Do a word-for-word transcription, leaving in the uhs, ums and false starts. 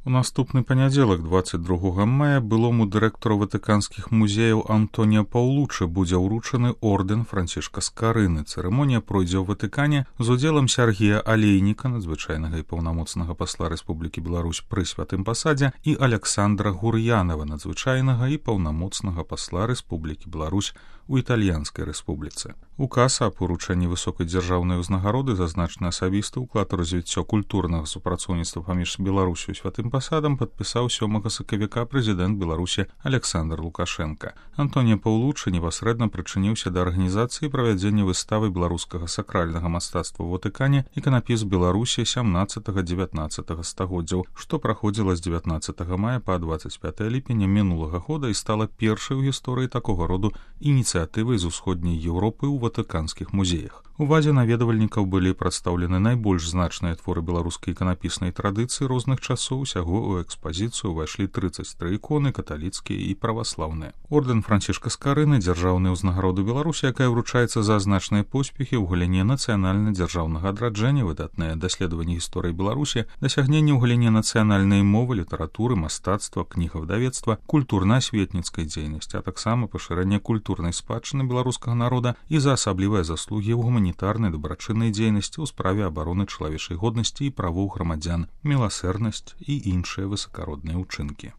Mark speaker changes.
Speaker 1: У наступны панядзелак двадцать другога мая былому дырэктару ватыканскіх музеяў Антоніа Паўлучы будзе ўручаны ордэн Францішка Скарыны. Цырымонія пройдзе ў Ватыкане з удзелам Сяргея Алейніка, надзвычайнага і паўнамоцнага пасла Рэспублікі Беларусь пры святым пасадзе, і Аляксандра Гур'янава, надзвычайнага і паўнамоцнага пасла Рэспублікі Беларусь у Італьянскай рэспубліцы. Указ аб уручэнні высокай дзяржаўнай узнагароды за значны асабісты ўклад у развіццё культурнага супрацоўніцтва паміж Беларусю і святым пасадам падпісаў сёмага сакавіка прэзідэнт Беларусі Александр Лукашенко. Антонія Паўлучы непасрэдна прычыніўся да арганізацыі правядзення выставы беларускага сакральнага мастацтва ў Ватыкане «Іканапіс Беларусі сямнаццатага-дзевятнаццатага стагоддзяў», што праходзіла з дзевятнаццатага мая па дваццаць пятае ліпеня мінулага года і стала першай у гісторыі такога роду ініцыятывай з усходняй Еўропы ў ватыканскіх музеях. Увазе наведвальнікаў былі прадстаўлены найбольш значныя творы беларускай іканапіснай традыцыі розных часоў. Усяго ў экспазіцыю ўвайшлі трыццаць тры іконы, каталіцкія і праваслаўныя. Ордэн Францішка Скарыны — дзяржаўная ўзнагарода Беларусі, якая вручаецца за значныя поспехі ў галіне нацыянальна-дзяржаўнага адраджэння, выдатнае даследаванне гісторыі Беларусі, дасягненне ў галіне нацыянальнай мовы, літаратуры, мастацтва, кнігавыдавецтва, культурна-асветніцкай дзейнасці, а таксама пашырэнне культурнай спадчыны беларускага народа і за асаблівыя заслугі ў гуманітарнай дабрачыннай дзейнасці ў справе абароны чалавечай годнасці і правоў грамадзян, міласэрнасць і іншыя высакародныя ўчынкі.